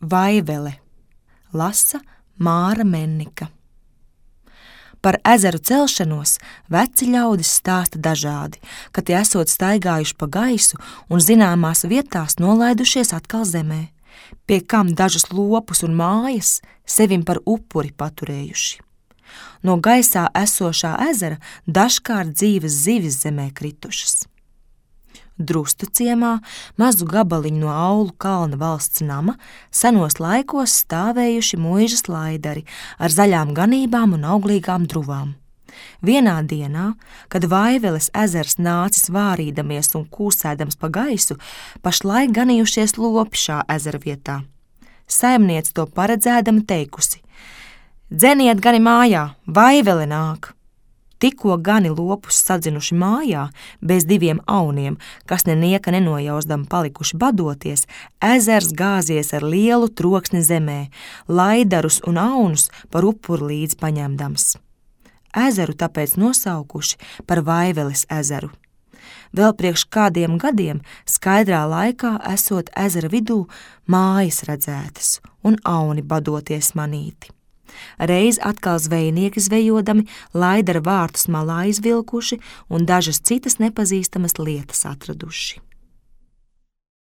Vaivele, lasa Māra Mennika. Par ezeru celšanos veci ļaudis stāsta dažādi, ka tie esot staigājuši pa gaisu un zināmās vietās nolaidušies atkal zemē, pie kam dažus lopus un mājas sevim par upuri paturējuši. No gaisā esošā ezera dažkārt dzīves zivis zemē kritušas. Drustu ciemā, mazu gabaliņu no Aulu kalna valsts nama, senos laikos stāvējuši muižas laidari ar zaļām ganībām un auglīgām druvām. Vienā dienā, kad Vaiveles ezers nācis vārīdamies un kūsēdams pa gaisu, pašlaik ganījušies lopi šā ezera vietā. Saimniece to paredzēdama teikusi: "Dzeniet gani mājā, Vaivele nāk!" Tikko gani lopus sadzinuši mājā, bez 2 auniem, kas nenieka nenojausdam palikuši badoties, ezers gāzies ar lielu troksni zemē, laidarus un aunus par upuru līdz paņemdams. Ezeru tāpēc nosaukuši par Vaiveles ezeru. Vēl priekš kādiem gadiem skaidrā laikā esot ezera vidū mājas redzētas un auni badoties manīti. Reiz atkal zvejnieki zvejodami laidara vārtus malā izvilkuši un dažas citas nepazīstamas lietas atraduši.